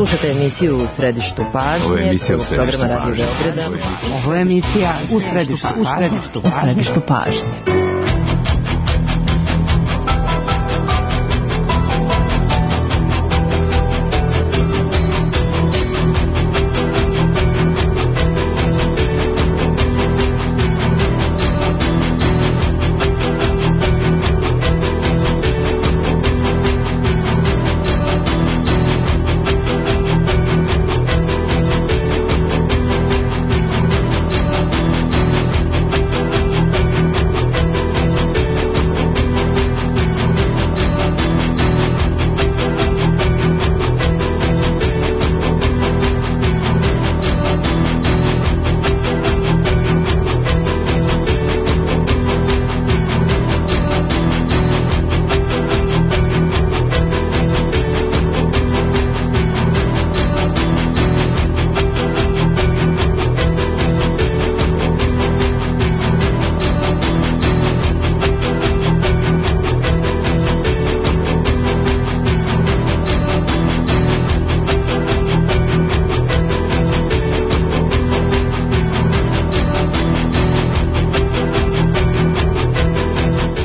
Slušate emisiju U središtu pažnje, programa Radio Beograda. Ovo je emisija U središtu pažnje.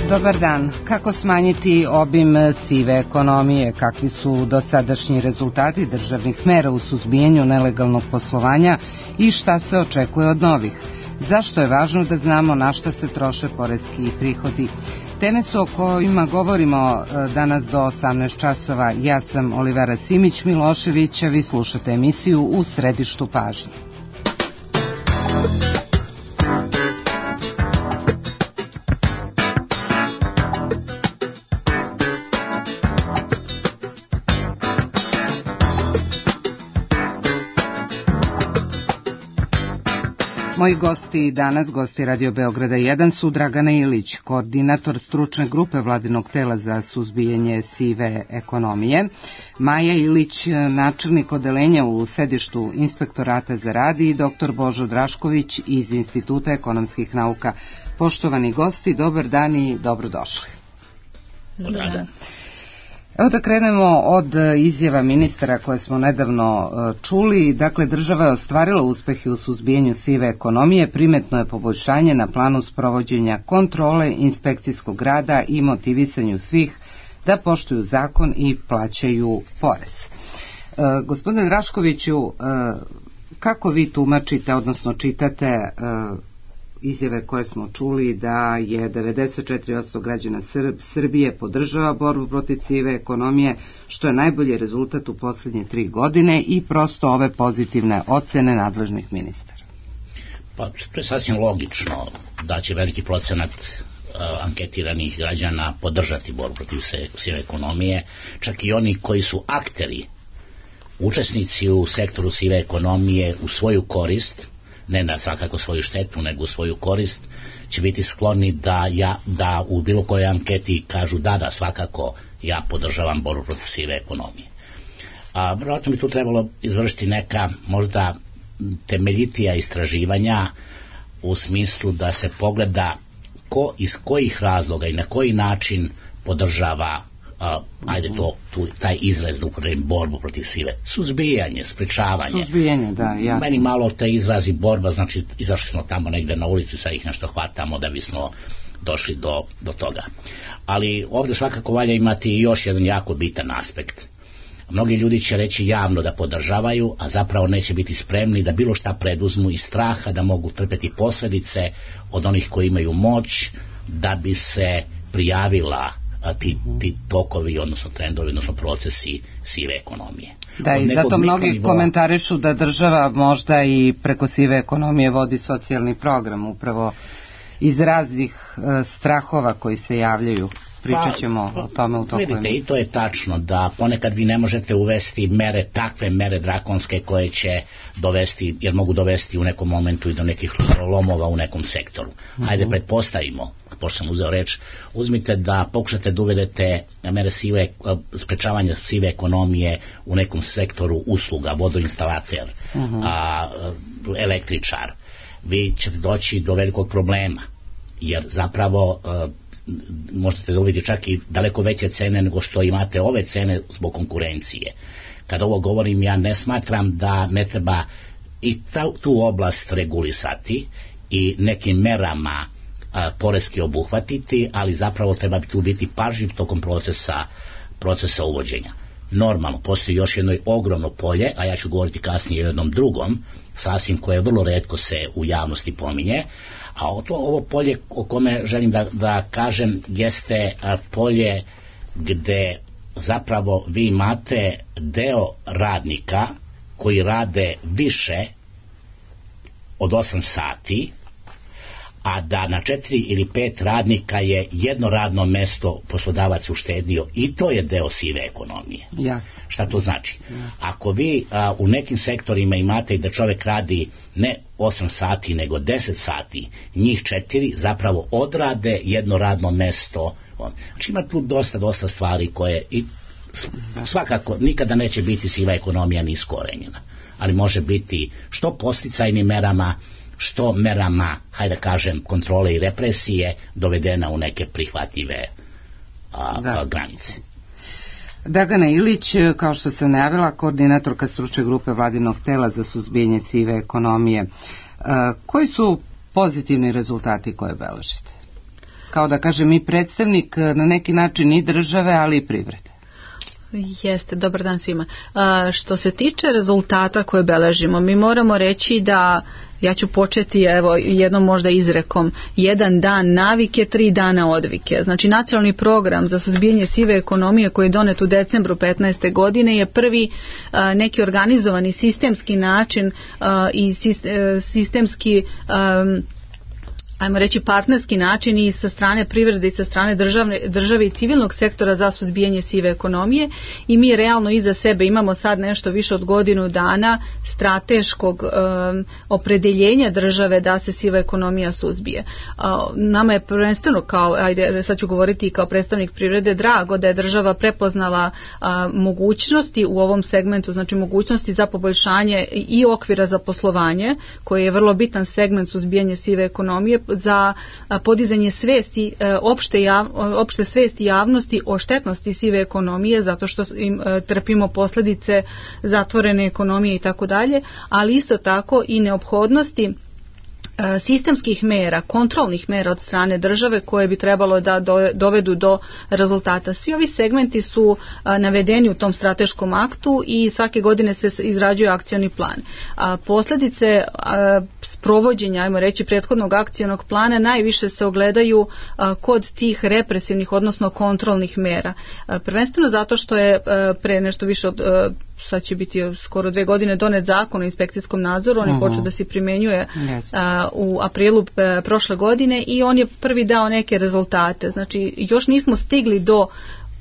Dobar dan. Kako smanjiti obim sive ekonomije? Kakvi su dosadašnji rezultati državnih mera u suzbijanju nelegalnog poslovanja i šta se očekuje od novih? Zašto je važno da znamo na šta se troše poreski prihodi? Teme su o kojima govorimo danas do 18 časova. Ja sam Olivera Simić-Milošević, a vi slušate emisiju U središtu pažnje. Moji gosti danas, gosti Radio Beograda 1, su Dragana Ilić, koordinator stručne grupe vladinog tela za suzbijanje sive ekonomije, Maja Ilić, načelnik odeljenja u sedištu Inspektorata za rad i dr. Božo Drašković iz Instituta ekonomskih nauka. Poštovani gosti, dobar dan i dobrodošli. Dobar dan. Evo da krenemo od izjava ministara koje smo nedavno čuli. Dakle, država je ostvarila uspehe u suzbijanju sive ekonomije, primetno je poboljšanje na planu sprovođenja kontrole, inspekcijskog rada i motivisanju svih da poštuju zakon i plaćaju porez. Gospodine Draškoviću, kako vi tumačite, odnosno čitate izjave koje smo čuli da je 94% građana Srbije podržava borbu protiv sive ekonomije, što je najbolji rezultat u posljednje 3 godine i prosto ove pozitivne ocene nadležnih ministara? Pa to je sasvim logično da će veliki procenat anketiranih građana podržati borbu protiv sive ekonomije, čak i oni koji su akteri, učesnici u sektoru sive ekonomije u svoju korist, ne na svakako svoju štetu, nego u svoju korist, će biti skloni da u bilo kojoj anketi kažu da, svakako ja podržavam borbu protiv sive ekonomije. A vjerojatno bi tu trebalo izvršiti neka možda temeljitija istraživanja u smislu da se pogleda ko iz kojih razloga i na koji način podržava taj izraz da upotrebim borbu protiv sive. Suzbijanje, sprečavanje. Suzbijanje, da, jasno. Meni malo te izrazi borba, znači izašli smo tamo negde na ulicu i sad ih nešto hvatamo da bismo došli do toga. Ali ovdje svakako valja imati još jedan jako bitan aspekt. Mnogi ljudi će reći javno da podržavaju, a zapravo neće biti spremni da bilo šta preduzmu iz straha da mogu trpeti posljedice od onih koji imaju moć da bi se prijavila ti tokovi, odnosno trendovi, odnosno procesi sive ekonomije. Da, i zato mnogi komentarišu da država možda i preko sive ekonomije vodi socijalni program, upravo iz raznih strahova koji se javljaju. Pričat ćemo o tome u toku emisije. I to je tačno, da ponekad vi ne možete uvesti takve mere drakonske koje će dovesti, jer mogu dovesti u nekom momentu i do nekih lomova u nekom sektoru. Hajde pretpostavimo, pošto sam uzeo reč, uzmite da pokušate da uvedete mere sprečavanja sive ekonomije u nekom sektoru usluga, vodoinstalater, električar. Vi ćete doći do velikog problema, jer zapravo možete dobiti čak i daleko veće cene nego što imate ove cene zbog konkurencije. Kad ovo govorim, ja ne smatram da ne treba i tu oblast regulisati i nekim merama poreski obuhvatiti, ali zapravo treba tu biti pažljiv tokom procesa uvođenja. Normalno, postoji još jedno ogromno polje, a ja ću govoriti kasnije o jednom drugom, sasvim koje vrlo retko se u javnosti pominje, a ovo polje o kome želim da kažem jeste polje gde zapravo vi imate deo radnika koji rade više od 8 sati, a da na 4 ili 5 radnika je jedno radno mesto poslodavac uštedio, i to je deo sive ekonomije. Yes. Šta to znači? Ako vi u nekim sektorima imate i da čovjek radi ne 8 sati nego 10 sati, njih 4 zapravo odrade jedno radno mesto. Znači ima tu dosta stvari koje i svakako nikada neće biti siva ekonomija ni iskorenjena, ali može biti što podsticajnim merama, što merama, hajde da kažem, kontrole i represije dovedena u neke prihvatljive granice. Dragana Ilić, kao što sam najavila, koordinatorka stručne grupe vladinog tela za suzbijanje sive ekonomije. Koji su pozitivni rezultati koje beležite? Kao da kažem i predstavnik na neki način i države, ali i privrede. Jeste, dobar dan svima. Što se tiče rezultata koje beležimo, mi moramo reći da, ja ću početi jednom možda izrekom, 1 dan navike, 3 dana odvike. Znači nacionalni program za suzbijanje sive ekonomije koji je donet u decembru 2015. godine je prvi neki organizovani sistemski način i sistemski ajmo reći partnerski način i sa strane privrede i sa strane države i civilnog sektora za suzbijanje sive ekonomije, i mi realno iza sebe imamo sad nešto više od godinu dana strateškog opredeljenja države da se siva ekonomija suzbije. Nama je prvenstveno, sad ću govoriti kao predstavnik privrede, drago da je država prepoznala mogućnosti u ovom segmentu, znači mogućnosti za poboljšanje i okvira za poslovanje, koji je vrlo bitan segment suzbijanja sive ekonomije, za podizanje svesti, opšte svesti javnosti o štetnosti sive ekonomije, zato što trpimo posljedice zatvorene ekonomije i tako dalje, ali isto tako i neophodnosti sistemskih mera, kontrolnih mera od strane države koje bi trebalo da dovedu do rezultata. Svi ovi segmenti su navedeni u tom strateškom aktu i svake godine se izrađuje akcioni plan. Posljedice sprovođenja, ajmo reći, prethodnog akcionog plana najviše se ogledaju kod tih represivnih, odnosno kontrolnih mera. Prvenstveno zato što je pre nešto više od sad će biti skoro 2 godine donet zakon o inspekcijskom nadzoru, on je počeo da se primjenjuje u aprilu prošle godine i on je prvi dao neke rezultate. Znači još nismo stigli do,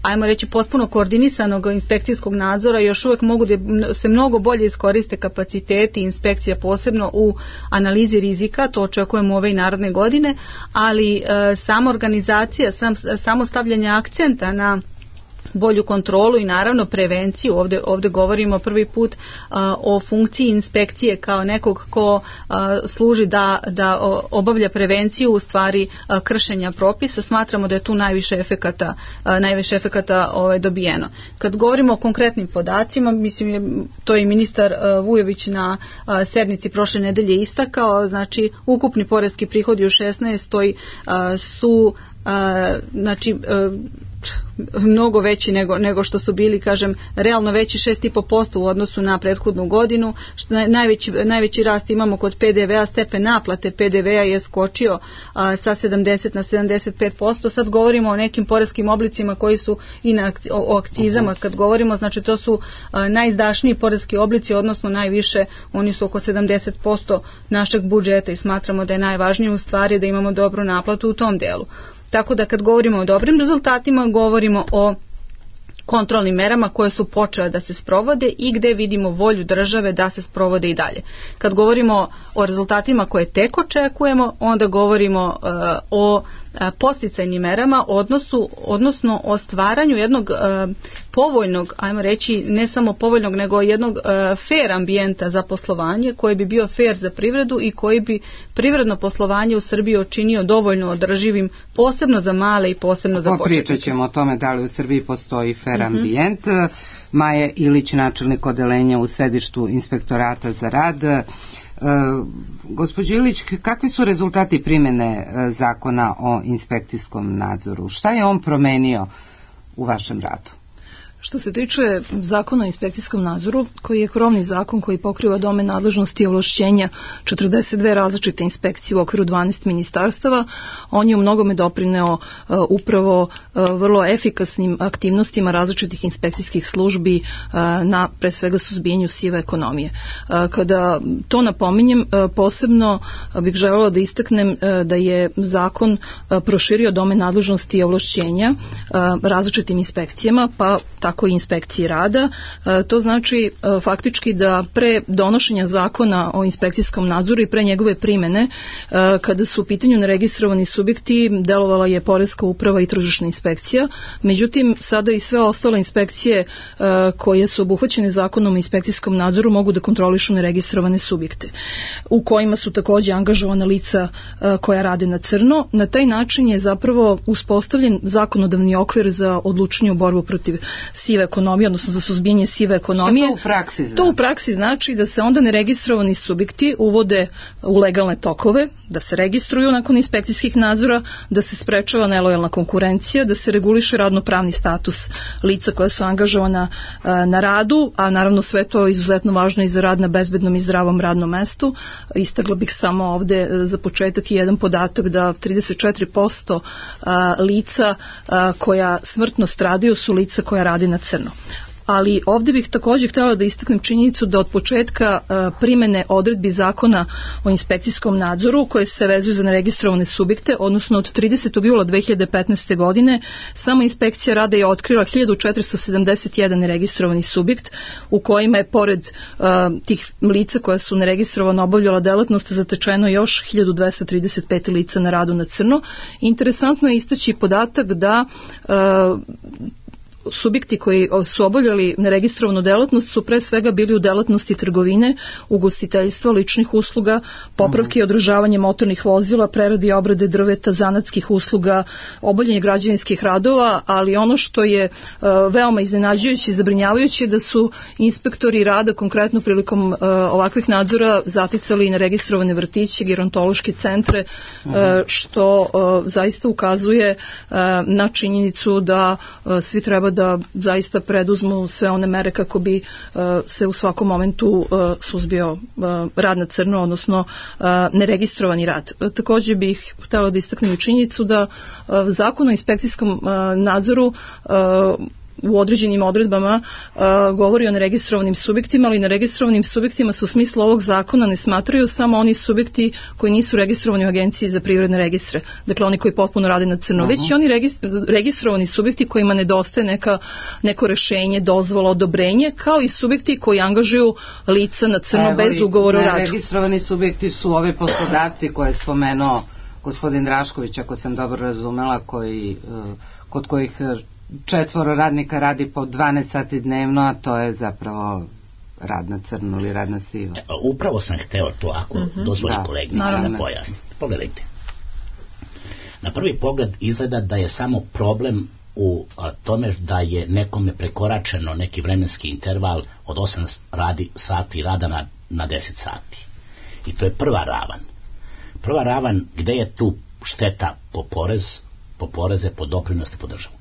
ajmo reći, potpuno koordinisanog inspekcijskog nadzora, još uvijek mogu da se mnogo bolje iskoriste kapaciteti inspekcija, posebno u analizi rizika, to očekujemo ove i naredne godine, ali sama organizacija, samo stavljanje akcenta na bolju kontrolu i naravno prevenciju. Ovdje govorimo prvi put o funkciji inspekcije kao nekog ko služi da obavlja prevenciju u stvari kršenja propisa. Smatramo da je tu najviše efekata dobijeno. Kad govorimo o konkretnim podacima, mislim to je i ministar Vujović na sednici prošle nedelje istakao, znači ukupni poreski prihodi u 16. su znači mnogo veći nego što su bili, kažem, realno veći 6,5% u odnosu na prethodnu godinu. Najveći rast imamo kod PDV-a, stepen naplate PDV-a je skočio sa 70 na 75%. Sad govorimo o nekim poreskim oblicima koji su i o akcizama. Kad govorimo, znači to su najizdašniji poreski oblici, odnosno najviše, oni su oko 70% našeg budžeta i smatramo da je najvažnije u stvari da imamo dobru naplatu u tom delu. Tako da kad govorimo o dobrim rezultatima, govorimo o kontrolnim merama koje su počele da se sprovode i gde vidimo volju države da se sprovode i dalje. Kad govorimo o rezultatima koje tek očekujemo, onda govorimo o podsticajnim merama, odnosno o stvaranju jednog povoljnog, ajmo reći, ne samo povoljnog, nego jednog fair ambijenta za poslovanje, koji bi bio fair za privredu i koji bi privredno poslovanje u Srbiji učinio dovoljno održivim, posebno za male i posebno za početnike. Pričat ćemo o tome da li u Srbiji postoji fair PR ambijent. Maja Ilić, načelnik odeljenja u sedištu Inspektorata za rad. Gospođo Ilić, kakvi su rezultati primjene zakona o inspekcijskom nadzoru? Šta je on promenio u vašem radu? Što se tiče zakona o inspekcijskom nadzoru, koji je krovni zakon koji pokriva domen nadležnosti i ovlašćenja 42 različite inspekcije u okviru 12 ministarstava, on je u mnogome doprineo upravo vrlo efikasnim aktivnostima različitih inspekcijskih službi na pre svega suzbijanju sive ekonomije. Kada to napominjem, posebno bih želela da istaknem da je zakon proširio domen nadležnosti i ovlašćenja različitim inspekcijama, pa tako i inspekciji rada. To znači faktički da pre donošenja zakona o inspekcijskom nadzoru i pre njegove primene, kada su u pitanju neregistrovani subjekti, delovala je Poreska uprava i tržišna inspekcija. Međutim, sada i sve ostale inspekcije koje su obuhvaćene zakonom o inspekcijskom nadzoru mogu da kontrolišu neregistrovane subjekte, u kojima su takođe angažovana lica koja rade na crno. Na taj način je zapravo uspostavljen zakonodavni okvir za odlučniju borbu protiv sive ekonomije, odnosno za suzbijanje sive ekonomije. Šta to u praksi znači? To u praksi znači da se onda neregistrovani subjekti uvode u legalne tokove, da se registruju nakon inspekcijskih nadzora, da se sprečava nelojalna konkurencija, da se reguliše radno-pravni status lica koja su angažovana na radu, a naravno sve to je izuzetno važno i za rad na bezbednom i zdravom radnom mestu. Istakla bih samo ovde za početak i jedan podatak da 34% lica koja smrtno stradaju su lica koja radi na crno. Ali ovdje bih također htjela da istaknem činjenicu da od početka primene odredbi zakona o inspekcijskom nadzoru koje se vezuju za neregistrovane subjekte, odnosno od 30. jula 2015. godine, samo inspekcija rada je otkrila 1471 neregistrovani subjekt u kojima je pored tih lica koja su neregistrovano obavljala delatnost zatečeno još 1235 lica na radu na crno. Interesantno je istaći podatak da subjekti koji su obavljali neregistrovanu delatnost su pre svega bili u delatnosti trgovine, ugostiteljstva, ličnih usluga, popravke i održavanje motornih vozila, prerade i obrade drveta, zanatskih usluga, obavljanje građevinskih radova, ali ono što je veoma iznenađujuće i zabrinjavajuće je da su inspektori rada konkretno prilikom ovakvih nadzora zaticali neregistrovane vrtiće, gerontološke centre, što zaista ukazuje na činjenicu da svi treba da zaista preduzmu sve one mere kako bi se u svakom momentu suzbio rad na crno, odnosno neregistrovani rad. Također bih htjela da istaknem i činjenicu da zakon o inspekcijskom nadzoru u određenim odredbama govori o neregistrovanim subjektima, ali neregistrovanim subjektima se u smislu ovog zakona ne smatraju samo oni subjekti koji nisu registrovani u Agenciji za privredne registre, dakle oni koji potpuno rade na crno, već i oni registrovani subjekti kojima nedostaje neko rešenje, dozvola, odobrenje, kao i subjekti koji angažuju lica na crno bez ugovora o radu. Neregistrovani subjekti su ovi poslodavci koje je spomenuo gospodin Drašković, ako sam dobro razumela, kod kojih 4 radnika radi po 12 sati dnevno, a to je zapravo rad na crno ili rad na sivo. Upravo sam hteo to, ako dozvoli kolegnica da pojasni. Pogledajte. Na prvi pogled izgleda da je samo problem u tome da je nekome prekoračeno neki vremenski interval od 8 sati rada na 10 sati. I to je prva ravan. Prva ravan gde je tu šteta po poreze, po doprinosti, po državu.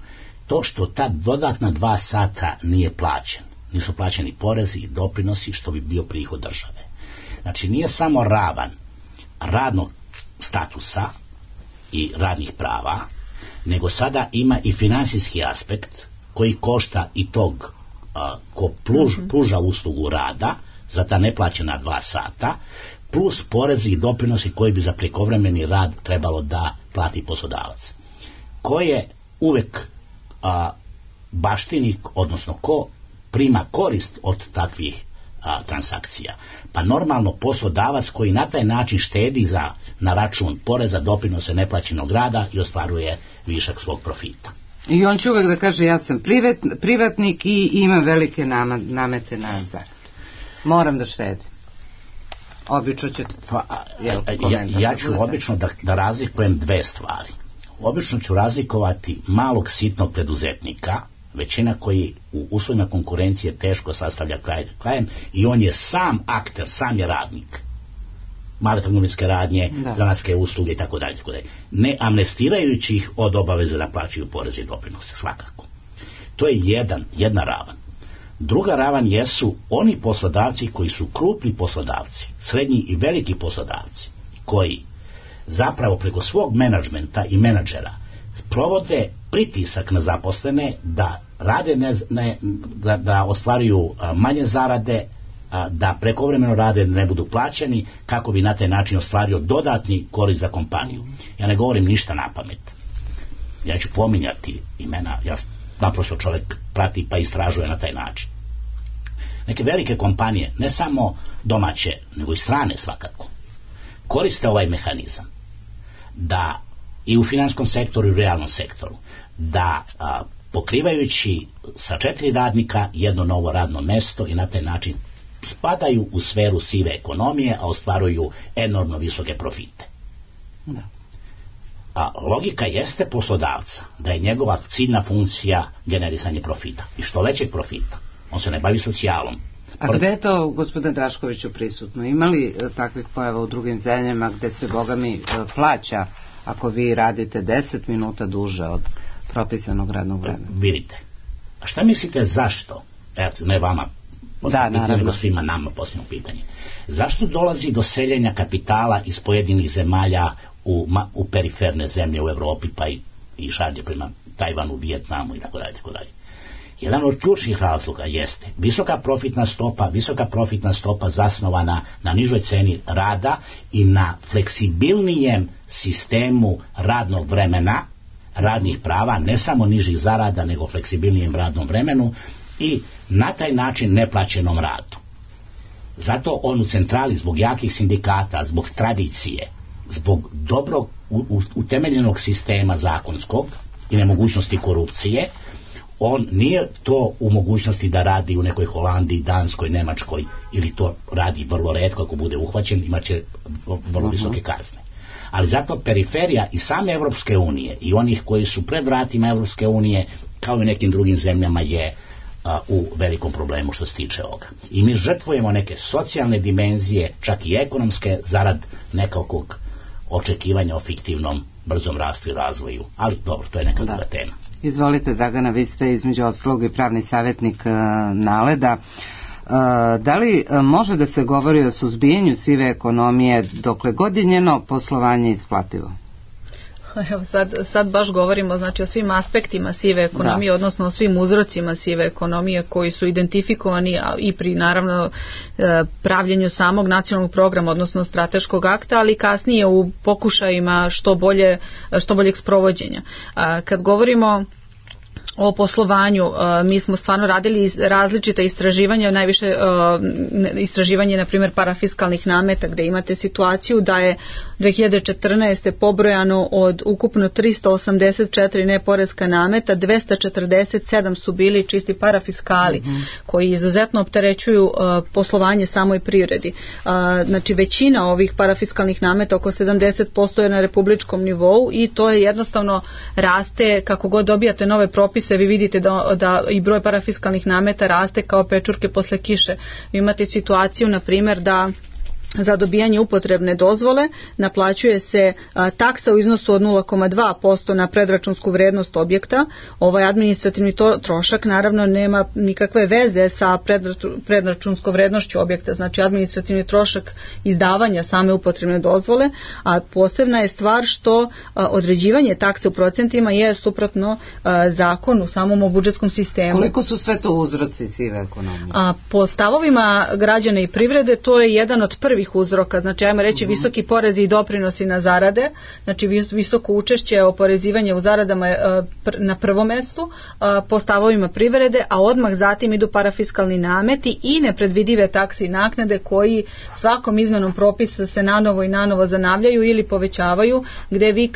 To što ta dodatna 2 sata nije plaćen, nisu plaćeni porezi i doprinosi što bi bio prihod države. Znači nije samo ravan radnog statusa i radnih prava, nego sada ima i finansijski aspekt koji košta i tog ko pruža uslugu rada za ta neplaćena 2 sata, plus porezi i doprinosi koji bi za prekovremeni rad trebalo da plati poslodavac. Ko je uvek baštinik, odnosno ko prima korist od takvih transakcija? Pa normalno poslodavac koji na taj način štedi na račun poreza, doprinose, neplaćenog rada i ostvaruje višak svog profita. I on će uvek da kaže ja sam privatnik i imam velike namete na zaradu. Moram da štedim. Obično će ja ću obično da razlikujem 2 stvari. Obično ću razlikovati malog sitnog preduzetnika, većina koji u uslovima konkurencije teško sastavlja krajem i on je sam akter, sam je radnik. Male trgovinske radnje, zanatske usluge i tako dalje. Ne amnestirajući ih od obaveze da plaćaju poreze i doprinose, svakako. To je jedna ravan. Druga ravan jesu oni poslodavci koji su krupni poslodavci, srednji i veliki poslodavci, koji zapravo preko svog menadžmenta i menadžera provode pritisak na zaposlene da rade da ostvaruju manje zarade, da prekovremeno rade, da ne budu plaćeni, kako bi na taj način ostvario dodatni korist za kompaniju. Ja ne govorim ništa na pamet. Ja ću pominjati imena, ja naprosto čovjek prati pa istražuje na taj način. Neke velike kompanije, ne samo domaće, nego i strane svakako, koriste ovaj mehanizam da i u finanskom sektoru i u realnom sektoru, da pokrivajući sa 4 radnika jedno novo radno mesto i na taj način spadaju u sferu sive ekonomije, a ostvaruju enormno visoke profite. Da. A logika jeste poslodavca da je njegova ciljna funkcija generisanje profita. I što većeg profita. On se ne bavi socijalom. A gde je to, gospodine Draškoviću, prisutno? Ima li takvih pojava u drugim zemljama gde se, Boga mi, plaća ako vi radite 10 minuta duže od propisanog radnog vremena? Vidite. A šta mislite zašto? Evo, ne vama, nego svima nama posljedno pitanje. Zašto dolazi do seljenja kapitala iz pojedinih zemalja u periferne zemlje u Evropi, pa i šalje prema Tajvanu, Vijetnamu i tako dalje. Jedan od ključnih razloga jeste visoka profitna stopa zasnovana na nižoj ceni rada i na fleksibilnijem sistemu radnog vremena, radnih prava, ne samo nižih zarada, nego fleksibilnijem radnom vremenu i na taj način neplaćenom radu. Zato on u centrali, zbog jakih sindikata, zbog tradicije, zbog dobrog utemeljenog sistema zakonskog i nemogućnosti korupcije, on nije to u mogućnosti da radi u nekoj Holandiji, Danskoj, Nemačkoj, ili to radi vrlo retko, ako bude uhvaćen, imaće vrlo visoke kazne. Ali zato periferija i same Evropske unije i onih koji su pred vratima Evropske unije, kao i nekim drugim zemljama, je u velikom problemu što se tiče ovoga. I mi žrtvujemo neke socijalne dimenzije, čak i ekonomske, zarad nekakvog očekivanja o fiktivnom brzom rastu i razvoju. Ali dobro, to je neka druga tema. Izvolite, Dragana, vi ste između ostalog i pravni savjetnik NALED-a. Da li može da se govori o suzbijanju sive ekonomije dokle god je njeno poslovanje isplativo? Evo sad baš govorimo, znači, o svim aspektima sive ekonomije, odnosno o svim uzrocima sive ekonomije koji su identifikovani i pri, naravno, pravljenju samog nacionalnog programa, odnosno strateškog akta, ali kasnije u pokušajima što boljeg sprovođenja. Kad govorimo o poslovanju, mi smo stvarno radili različita istraživanja, najviše istraživanje, na primjer, parafiskalnih nameta, gdje imate situaciju da je 2014. pobrojano od ukupno 384 neporeska nameta, 247 su bili čisti parafiskali, koji izuzetno opterećuju poslovanje samoj privredi. Znači, većina ovih parafiskalnih nameta, oko 70%, je na republičkom nivou i to je jednostavno raste, kako god dobijate nove propise, vi vidite da i broj parafiskalnih nameta raste kao pečurke posle kiše. Vi imate situaciju, na primjer, da za dobijanje upotrebne dozvole naplaćuje se taksa u iznosu od 0,2% na predračunsku vrednost objekta. Ovaj administrativni trošak naravno nema nikakve veze sa predračunskom vrednošću objekta, znači administrativni trošak izdavanja same upotrebne dozvole, a posebna je stvar što određivanje takse u procentima je suprotno zakonu u samom budžetskom sistemu. Koliko su sve to uzroci sive ekonomije? Po stavovima građana i privrede to je jedan od prvih uzroka, znači ajmo reći visoki porezi i doprinosi na zarade, znači visoko učešće oporezivanja u zaradama na prvom mestu po stavovima privrede, a odmah zatim idu parafiskalni nameti i nepredvidive takse i naknade koji svakom izmenom propisa se nanovo i nanovo zanavljaju ili povećavaju, gdje vi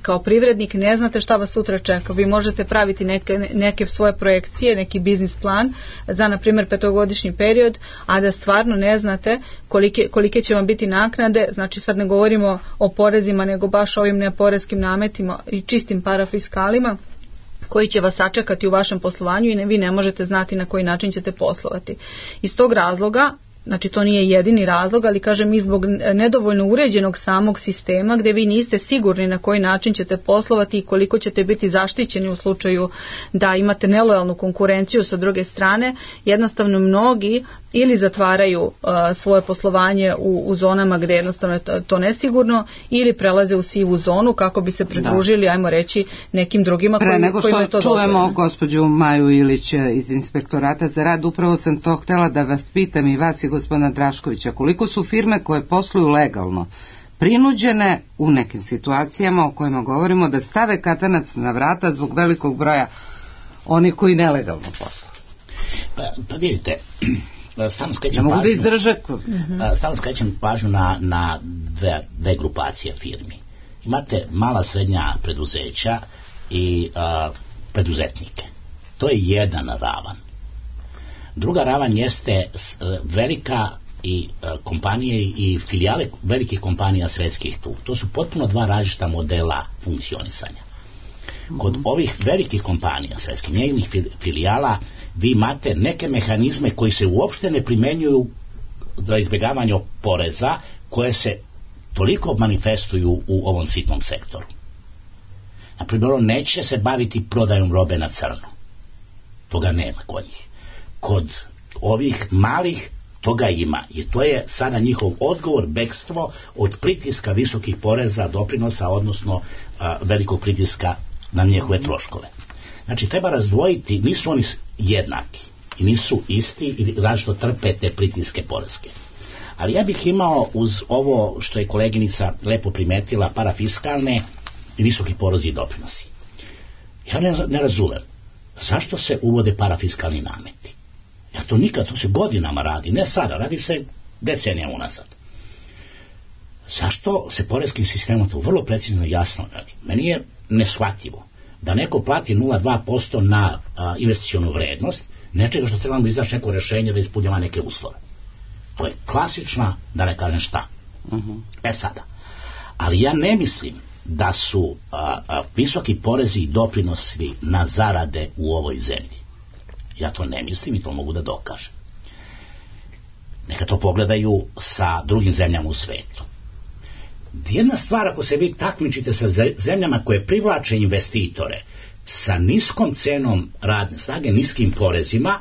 kao privrednik ne znate šta vas sutra čeka. Vi možete praviti neke svoje projekcije, neki biznis plan za, na primjer, 5-godišnji period, a da stvarno ne znate kolike će vam biti naknade, znači sad ne govorimo o porezima, nego baš ovim neporeskim nametima i čistim parafiskalima, koji će vas sačekati u vašem poslovanju i vi ne možete znati na koji način ćete poslovati. Iz tog razloga, znači to nije jedini razlog, ali kažem i zbog nedovoljno uređenog samog sistema gdje vi niste sigurni na koji način ćete poslovati i koliko ćete biti zaštićeni u slučaju da imate nelojalnu konkurenciju sa druge strane, jednostavno mnogi ili zatvaraju svoje poslovanje u zonama gdje jednostavno je to nesigurno ili prelaze u sivu zonu kako bi se pridružili, ajmo reći, nekim drugima kojima je to dozvoljeno. Pre nego što čujemo gospođu Maju Ilić iz Inspektorata za rad, upravo sam to htjela da vas pitam i vas i gospodina Draškovića, koliko su firme koje posluju legalno prinuđene u nekim situacijama o kojima govorimo da stave katanac na vrata zbog velikog broja onih koji nelegalno posluju? Pa vidite, stalno skrećem pažnju na dve grupacije firmi. Imate mala srednja preduzeća i preduzetnike. To je jedan ravan. Druga ravan jeste velika i kompanije i filijale velikih kompanija svetskih tu. To su potpuno dva različita modela funkcionisanja. Kod ovih velikih kompanija svetskih, njegovih filijala, vi imate neke mehanizme koji se uopšte ne primjenjuju za izbjegavanje poreza, koje se toliko manifestuju u ovom sitnom sektoru. Naprimjer, on neće se baviti prodajom robe na crno. Toga nema kod njih. Kod ovih malih toga ima, i to je sada njihov odgovor, bekstvo od pritiska visokih poreza, doprinosa, odnosno velikog pritiska na njihove troškove. Znači, treba razdvojiti, nisu oni jednaki i nisu isti i različito trpe te pritiske poreske. Ali ja bih imao uz ovo što je koleginica lepo primetila, parafiskalne i visoki porezi i doprinosi. Ja ne razumem zašto se uvode parafiskalni nameti. Ja to se godinama radi, ne sada, radi se decenija unazad. Zašto se poreskim sistemom to vrlo precizno i jasno radi? Meni je neshvatljivo da neko plati 0,2% na investicionu vrednost nečega što trebamo izaći neko rješenje da ispunjava neke uslove. To je klasična, da ne kažem šta. Sada. Ali ja ne mislim da su visoki porezi i doprinosi na zarade u ovoj zemlji. Ja to ne mislim i to mogu da dokažem. Neka to pogledaju sa drugim zemljama u svetu. Jedna stvar, ako se vi takmičite sa zemljama koje privlače investitore sa niskom cenom radne snage, niskim porezima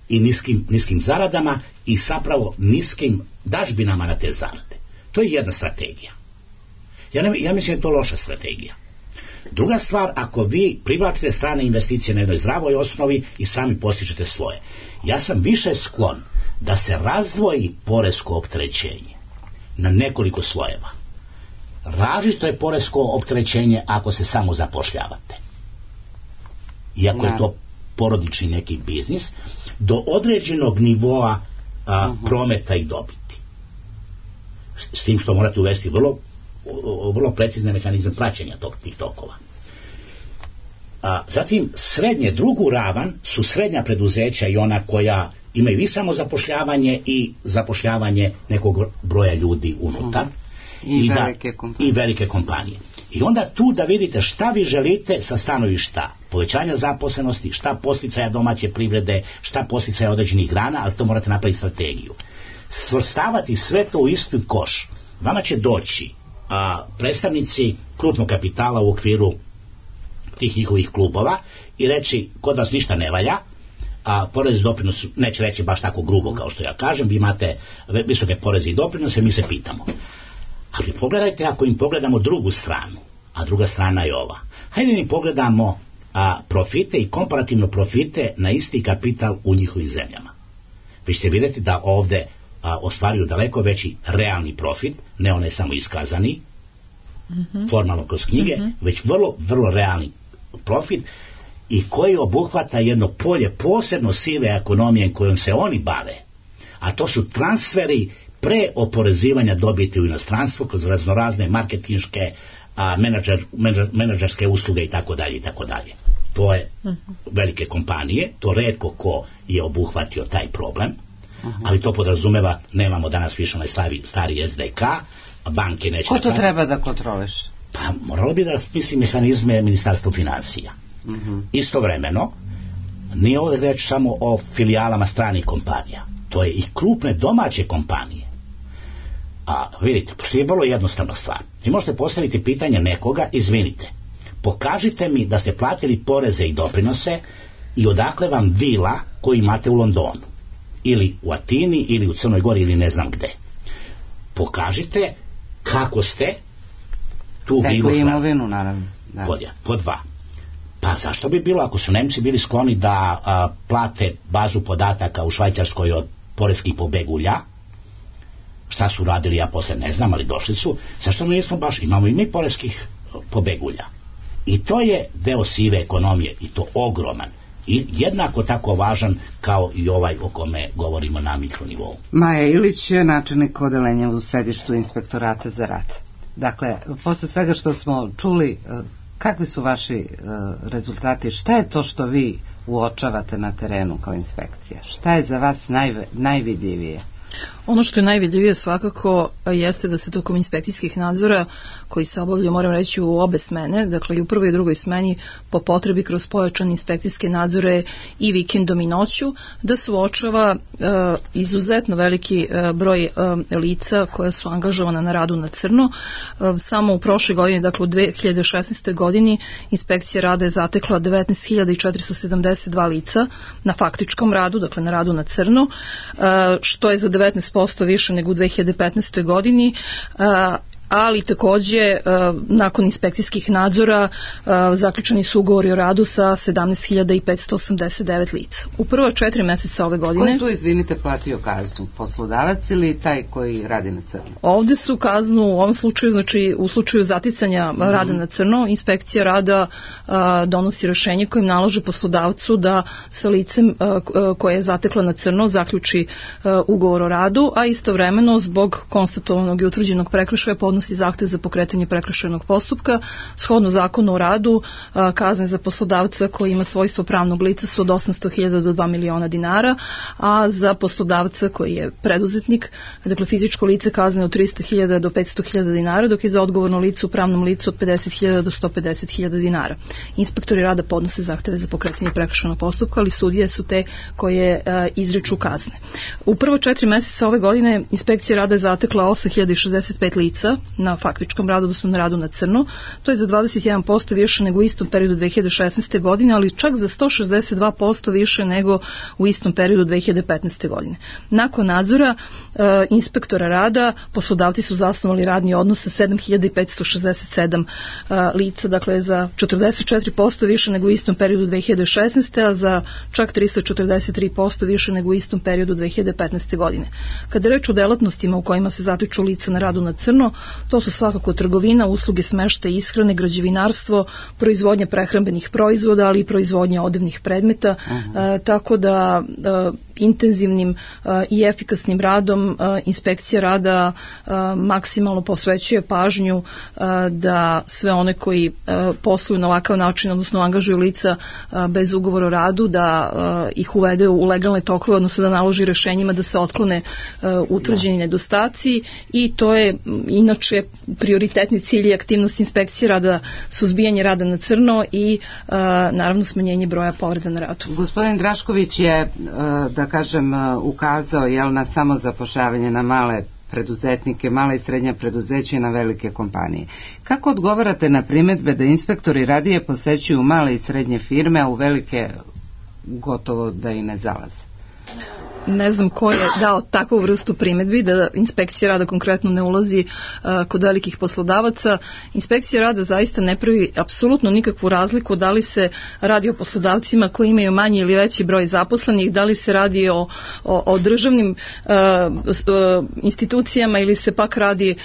i niskim zaradama i zapravo niskim dažbinama na te zarade. To je jedna strategija. Ja mislim da je to loša strategija. Druga stvar, ako vi privlačite strane investicije na jednoj zdravoj osnovi i sami postižete svoje. Ja sam više sklon da se razdvoji poresko opterećenje na nekoliko slojeva. Različito je poresko opterećenje ako se samo zapošljavate. Iako je to porodični neki biznis, do određenog nivoa prometa i dobiti. S tim što morate uvesti vrlo precizne mehanizme praćenja tih tokova. Zatim drugu ravan su srednja preduzeća i ona koja imaju i samo zapošljavanje i zapošljavanje nekog broja ljudi unutar. I velike kompanije. I onda tu da vidite šta vi želite sa stanovišta povećanja zaposlenosti, šta podsticaja domaće privrede, šta podsticaja određenih grana, ali to morate napraviti strategiju. Svrstavati sve to u isti koš. Vama će doći predstavnici krupnog kapitala u okviru tih njihovih klubova i reći, kod vas ništa ne valja, a porez i doprinos neće reći baš tako grubo kao što ja kažem, vi imate visoke poreze i doprinose, mi se pitamo. Ali pogledajte, ako im pogledamo drugu stranu, a druga strana je ova. Hajde mi pogledamo profite i komparativno profite na isti kapital u njihovim zemljama. Vi ćete vidjeti da ovdje ostvaruju daleko veći realni profit, ne onaj samo iskazani, formalno kroz knjige, već vrlo, vrlo realni profit i koji obuhvata jedno polje posebno sive ekonomije kojom se oni bave, a to su transferi pre oporezivanja dobiti u inostranstvu kroz raznorazne marketinške, menadžerske usluge itd. To je velike kompanije, to retko ko je obuhvatio taj problem, ali to podrazumeva, nemamo danas više onaj stari SDK, banke neće... Ko to treba da kontroliš? Pa moralo bi da rasmisli mehanizme Ministarstva financija. Istovremeno, nije ovdje reći samo o filijalama stranih kompanija, to je i krupne domaće kompanije. A vidite, postoji vrlo jednostavna stvar. Vi možete postaviti pitanje nekoga, izvinite, pokažite mi da ste platili poreze i doprinose i odakle vam vila koju imate u Londonu, ili u Atini, ili u Crnoj Gori, ili ne znam gde. Pokažite kako ste tu vilu imovinu, naravno. Da. Pod dva. Pa zašto bi bilo, ako su Nemci bili skloni da plate bazu podataka u Švajcarskoj od poreskih pobegulja, šta su radili, ja posle ne znam, ali došli su, zašto mi nismo baš, imamo i mi poreskih pobegulja. I to je deo sive ekonomije, i to ogroman, i jednako tako važan kao i ovaj o kome govorimo na mikronivou. Maja Ilić je načelnik odeljenja u sedištu Inspektorata za rad. Dakle, posle svega što smo čuli, kakvi su vaši rezultati, šta je to što vi uočavate na terenu kao inspekcija? Šta je za vas najvidljivije? Ono što je najvidljivije svakako jeste da se tokom inspekcijskih nadzora koji se obavljaju, moram reći, u obe smene, dakle i u prvoj i drugoj smeni, po potrebi kroz pojačane inspekcijske nadzore i vikendom i noću, da se uočava izuzetno veliki broj lica koja su angažovana na radu na crno. Samo u prošloj godini, dakle u 2016. godini, inspekcija rada je zatekla 19.472 lica na faktičkom radu, dakle na radu na crno, što je za 19% više nego u 2015. godini, ali takođe nakon inspekcijskih nadzora zaključeni su ugovori o radu sa 17.589 lica. U prva 4 meseca ove godine... Ko je tu, izvinite, platio kaznu? Poslodavac ili taj koji radi na crno? Ovde su kaznu u ovom slučaju, znači u slučaju zaticanja rada na crno, inspekcija rada donosi rešenje kojim nalaže poslodavcu da sa licem koje je zatekla na crno zaključi ugovor o radu, a istovremeno zbog konstatovanog i utvrđenog prekršaja podnosi zahtev za pokretanje prekršajnog postupka. Shodno zakonu o radu, kazne za poslodavca koji ima svojstvo pravnog lica su od 800.000 do 2 miliona dinara, a za poslodavca koji je preduzetnik, dakle fizičko lice, kazne od 300.000 do 500.000 dinara, dok je za odgovorno lice u pravnom licu od 50.000 do 150.000 dinara. Inspektori rada podnose zahteve za pokretanje prekršajnog postupka, ali sudije su te koje izriču kazne. U prvo 4 meseca ove godine inspekcija rada je zatekla 8.065 lica na faktičkom radu, odnosno na radu na crno. To je za 21% više nego u istom periodu 2016. godine, ali čak za 162% više nego u istom periodu 2015. godine. Nakon nadzora inspektora rada, poslodavci su zasnovali radni odnos sa 7.567 lica, dakle za 44% više nego u istom periodu 2016. a za čak 343% više nego u istom periodu 2015. godine. Kada je reč o delatnostima u kojima se zatiču lica na radu na crno, to su svakako trgovina, usluge smeštaja i ishrane, građevinarstvo, proizvodnja prehrambenih proizvoda, ali i proizvodnja odevnih predmeta, tako da intenzivnim i efikasnim radom inspekcija rada maksimalno posvećuje pažnju da sve one koji posluju na ovakav način, odnosno angažuju lica bez ugovora o radu, da ih uvede u legalne tokove, odnosno da naloži rešenjima da se otklone utvrđeni nedostaci, i to je inače prioritetni cilj i aktivnost inspekcije rada, suzbijanje rada na crno i naravno smanjenje broja povreda na radu. Gospodin Drašković je, da kažem, ukazao na samozapošljavanje, na male preduzetnike, mala i srednja preduzeća i na velike kompanije. Kako odgovarate na primedbe da inspektori radije posećuju male i srednje firme, a u velike gotovo da i ne zalaze? Ne znam ko je dao takvu vrstu primedbi da inspekcija rada konkretno ne ulazi kod velikih poslodavaca. Inspekcija rada zaista ne pravi apsolutno nikakvu razliku da li se radi o poslodavcima koji imaju manji ili veći broj zaposlenih, da li se radi o državnim institucijama ili se pak radi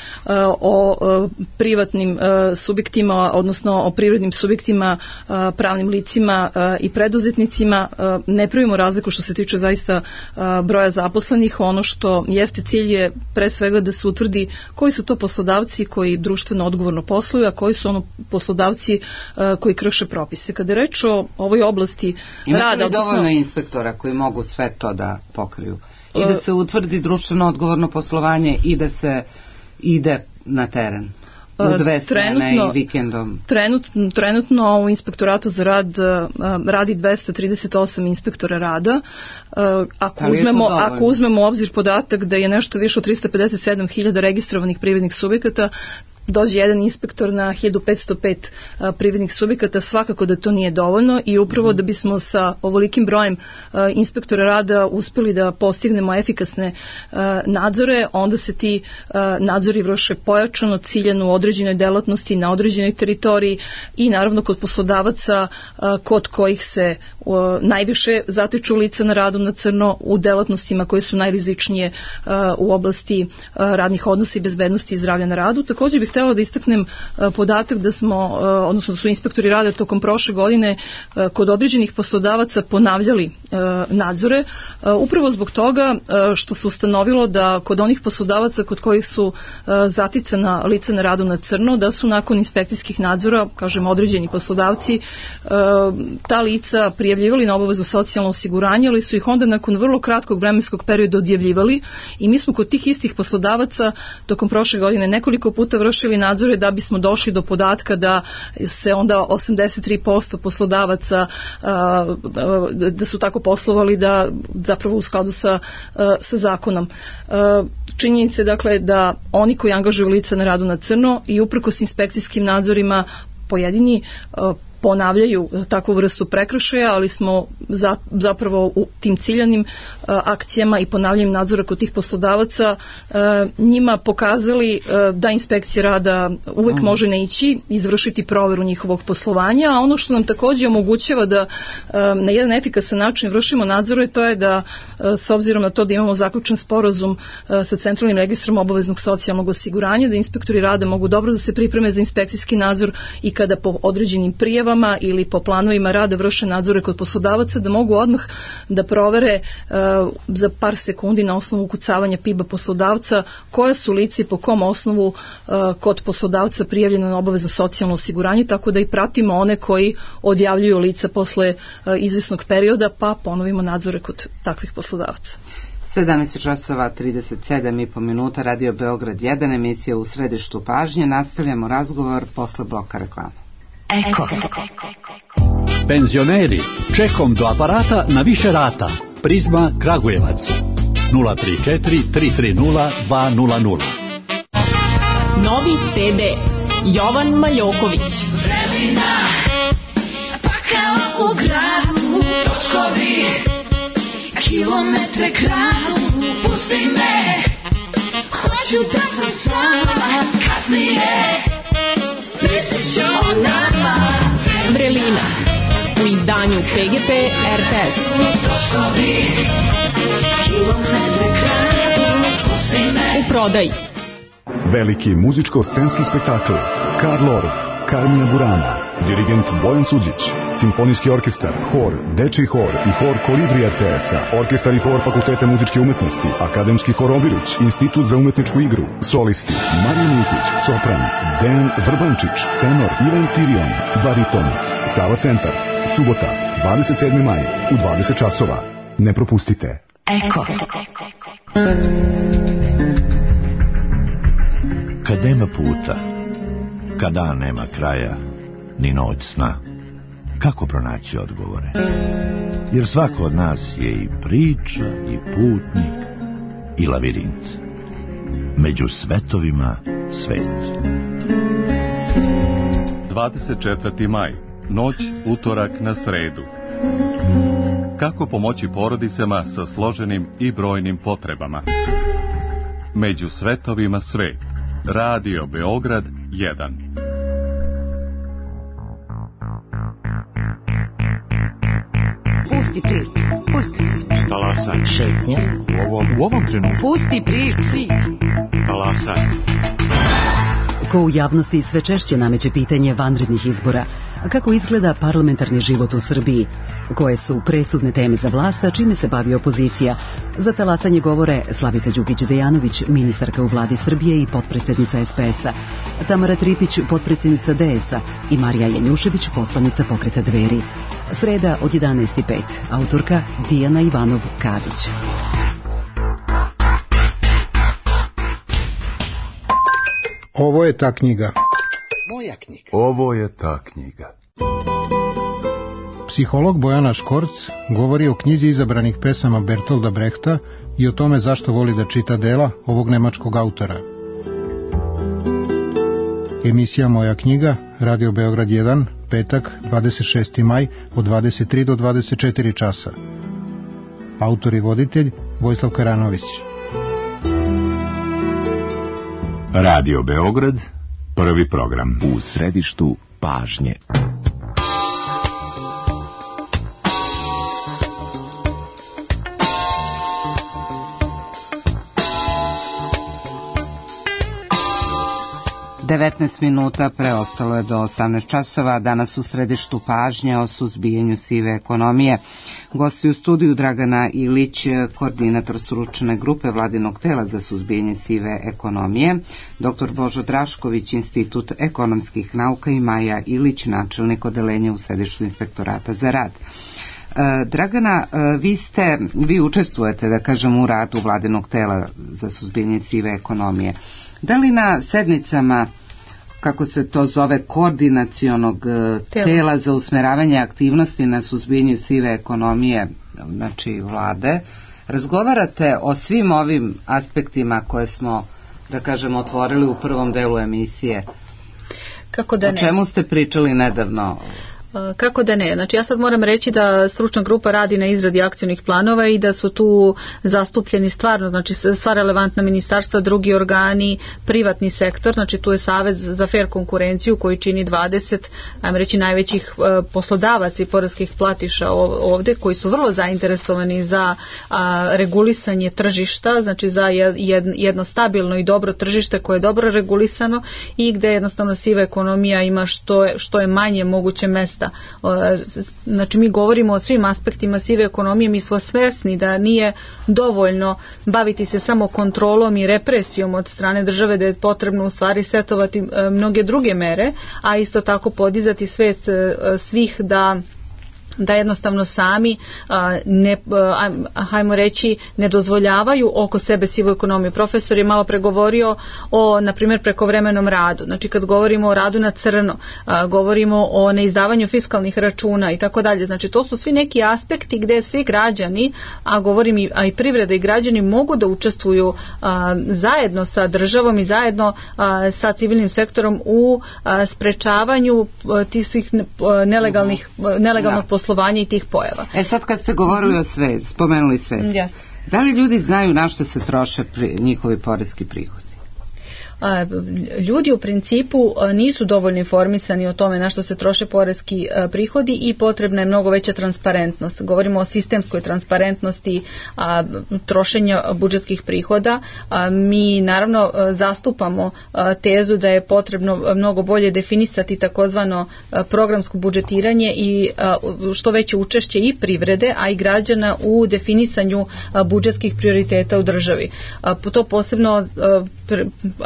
o privatnim subjektima, odnosno o privrednim subjektima, pravnim licima i preduzetnicima. Ne pravimo razliku što se tiče zaista broja zaposlenih. Ono što jeste cilj je pre svega da se utvrdi koji su to poslodavci koji društveno odgovorno posluju, a koji su poslodavci koji krše propise. Kada je reč o ovoj oblasti rada... Imate li dovoljno inspektora koji mogu sve to da pokriju? I da se utvrdi društveno odgovorno poslovanje i da se ide na teren? u 2 smene i vikendom? Trenutno u Inspektoratu za rad radi 238 inspektora rada. Ako uzmemo u obzir podatak da je nešto više od 357.000 registrovanih privrednih subjekata, dođe jedan inspektor na 1505 privrednih subjekata, svakako da to nije dovoljno i upravo da bismo sa ovolikim brojem inspektora rada uspeli da postignemo efikasne nadzore, onda se ti nadzori vrše pojačano, ciljano u određenoj delatnosti, na određenoj teritoriji i naravno kod poslodavaca kod kojih se najviše zatiču lica na radu na crno u delatnostima koje su najrizičnije u oblasti radnih odnosa i bezbednosti i zdravlja na radu. Također bih htjela da istaknem podatak da smo, odnosno da su inspektori rada tokom prošle godine kod određenih poslodavaca ponavljali nadzore, upravo zbog toga što se ustanovilo da kod onih poslodavaca kod kojih su zaticana lica na radu na crno, da su nakon inspekcijskih nadzora, kažem određeni poslodavci, ta lica prijavljivali na obavezu socijalno osiguranje, ali su ih onda nakon vrlo kratkog vremenskog perioda odjavljivali i mi smo kod tih istih poslodavaca tokom prošle godine nekoliko puta vršili nadzore da bismo došli do podatka da se onda 83% poslodavaca da su tako poslovali da zapravo u skladu sa zakonom. Činjenica je dakle da oni koji angažuju lica na radu na crno i uprkos inspekcijskim nadzorima pojedini ponavljaju takvu vrstu prekršaja, ali smo zapravo u tim ciljanim akcijama i ponavljanjem nadzora kod tih poslodavaca njima pokazali da inspekcija rada uvek može naići, izvršiti proveru njihovog poslovanja, a ono što nam također omogućava da na jedan efikasan način vršimo nadzore, to je da s obzirom na to da imamo zaključen sporazum sa Centralnim registrom obaveznog socijalnog osiguranja, da inspektori rada mogu dobro da se pripreme za inspekcijski nadzor i kada po određenim prijavama ili po planovima rada vrše nadzore kod poslodavaca, da mogu odmah da provere za par sekundi na osnovu ukucavanja PIB-a poslodavca koja su lica i po kom osnovu kod poslodavca prijavljena na obavezno socijalno osiguranje, tako da i pratimo one koji odjavljuju lica posle izvesnog perioda, pa ponovimo nadzore kod takvih poslodavaca. 17:37 minuta, Radio Beograd 1, emisija U središtu pažnje. Nastavljamo razgovor posle bloka reklama. Eko. Penzioneri, čekom do aparata na više rata. Prizma Kragujevac 034 330 200. Novi CD Jovan Maljoković. Vremena, pa kao u gradu, točkovi, kilometre kradu, pusti me, hoću da sam sama, kasnije, mislit ću o nama. Vrelina u izdanju PGP RTS. Točkovi, kilometre kradu, pusti me. U prodaji. Veliki muzičko-scenski spektakl Karl Orff, Carmina Burana, dirigent Bojan Suđić, simfonijski orkestar, hor, dečiji hor i hor Kolibri RTS-a, orkestar i hor Fakulteta muzičke umetnosti, akademski hor Obilić, institut za umetničku igru, solisti Marija Miletić, sopran, Dejan Vrbančić, tenor Ivan Tirion, bariton, Sava centar, subota, 27. maj, u 20 časova. Ne propustite. Eko. Kad nema puta, kad dan nema kraja, ni noć sna, kako pronaći odgovore? Jer svako od nas je i priča, i putnik, i lavirint. Među svetovima svet. 24. maj, noć utorak na sredu. Kako pomoći porodicama sa složenim i brojnim potrebama? Među svetovima svet. Radio Beograd 1. Pusti priču. Talasaj. Šetnja. U ovom trenutku. Pusti priču. Talasaj. Ko u javnosti sve češće nameće pitanje vanrednih izbora. Kako izgleda parlamentarni život u Srbiji? Koje su presudne teme za vlast, a čime se bavi opozicija? Za talasanje govore Slavica Đukić-Dejanović, ministarka u vladi Srbije i potpredsjednica SPS-a, Tamara Tripić, potpredsjednica DS-a i Marija Janjušević, poslanica pokreta Dveri. Sreda od 11:05. Autorka Dijana Ivanov-Kadić. Ovo je ta knjiga. Moja knjiga. Ovo je ta knjiga. Psiholog Bojana Škorc govori o knjizi izabranih pesama Bertolda Brehta i o tome zašto voli da čita dela ovog nemačkog autora. Emisija Moja knjiga, Radio Beograd 1, petak, 26. maj, od 23 do 24 časa. Autor i voditelj Vojislav Karanović. Radio Beograd, prvi program. U središtu pažnje. Devetnaest minuta preostalo je do 18 časova. Danas u središtu pažnje o suzbijanju sive ekonomije. Gosti u studiju Dragana Ilić, koordinator stručne grupe Vladinog tela za suzbijanje sive ekonomije, dr. Božo Drašković, Institut ekonomskih nauka i Maja Ilić, načelnik odeljenja u sedištu Inspektorata za rad. Dragana, vi učestvujete, da kažem, u radu Vladinog tela za suzbijanje sive ekonomije. Da li na sednicama, kako se to zove, koordinacionog tela za usmeravanje aktivnosti na suzbijanju sive ekonomije, znači vlade, razgovarate o svim ovim aspektima koje smo, da kažem, otvorili u prvom delu emisije? Kako da ne? O čemu ste pričali nedavno? Kako da ne? Znači ja sad moram reći da stručna grupa radi na izradi akcionih planova i da su tu zastupljeni stvarno, znači sva relevantna ministarstva, drugi organi, privatni sektor, znači tu je Savez za fair konkurenciju koji čini 20, ajmo reći, najvećih poslodavaca i poreskih platiša ovdje, koji su vrlo zainteresovani za regulisanje tržišta, znači za jedno stabilno i dobro tržište koje je dobro regulisano i gdje jednostavno siva ekonomija ima što je manje moguće mesta. Znači mi govorimo o svim aspektima sive ekonomije, mi smo svjesni da nije dovoljno baviti se samo kontrolom i represijom od strane države, da je potrebno u stvari setovati mnoge druge mere, a isto tako podizati svijest svih da jednostavno sami hajmo reći ne dozvoljavaju oko sebe sivu ekonomiju. Profesor je malo pregovorio o, na primjer, prekovremenom radu. Znači kad govorimo o radu na crno, govorimo o neizdavanju fiskalnih računa i tako dalje. Znači to su svi neki aspekti gdje svi građani, a govorim i privreda i građani, mogu da učestvuju zajedno sa državom i zajedno sa civilnim sektorom u sprečavanju tih svih nelegalnog poslovanja i tih pojava. Sad kad ste govorili o spomenuli svest, yes. Da li ljudi znaju na što se troše njihovi poreski prihodi? Ljudi u principu nisu dovoljno informisani o tome na što se troše poreski prihodi i potrebna je mnogo veća transparentnost. Govorimo o sistemskoj transparentnosti trošenja budžetskih prihoda. Mi naravno zastupamo tezu da je potrebno mnogo bolje definisati takozvano programsko budžetiranje i što veće učešće i privrede, a i građana u definisanju budžetskih prioriteta u državi. To posebno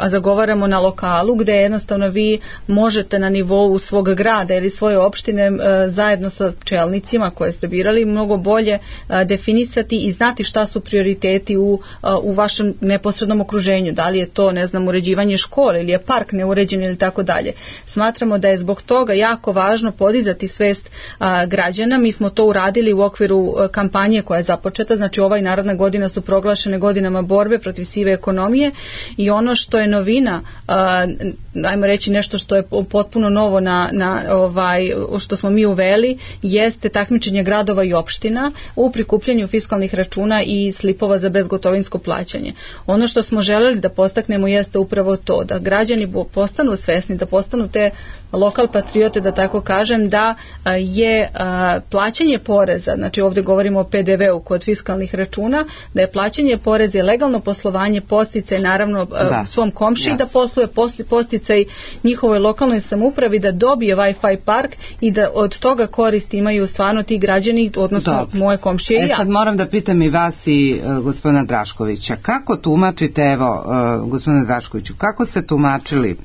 zagovaramo na lokalu, gdje jednostavno vi možete na nivou svog grada ili svoje opštine zajedno sa čelnicima koje ste birali mnogo bolje definisati i znati šta su prioriteti u vašem neposrednom okruženju. Da li je to, ne znam, uređivanje škole ili je park neuređen ili tako dalje. Smatramo da je zbog toga jako važno podizati svest građana. Mi smo to uradili u okviru kampanje koja je započeta, znači ova i naredna godina su proglašene godinama borbe protiv sive ekonomije i ono što je novina, ajmo reći nešto što je potpuno novo što smo mi uveli, jeste takmičenje gradova i opština u prikupljanju fiskalnih računa i slipova za bezgotovinsko plaćanje. Ono što smo želeli da postaknemo jeste upravo to, da građani postanu svesni, da postanu te lokal patriote, da tako kažem, da je plaćanje poreza, znači ovdje govorimo o PDV-u kod fiskalnih računa, da je plaćanje poreza i legalno poslovanje podsticaj naravno svom komšiji da posluje podsticaj njihovoj lokalnoj samoupravi da dobije Wi-Fi park i da od toga koristi imaju stvarno ti građani, odnosno moje komšije i ja. Sad moram da pitam i vas i gospodina Draškovića, kako tumačite, evo gospodine Draškoviću, kako ste tumačili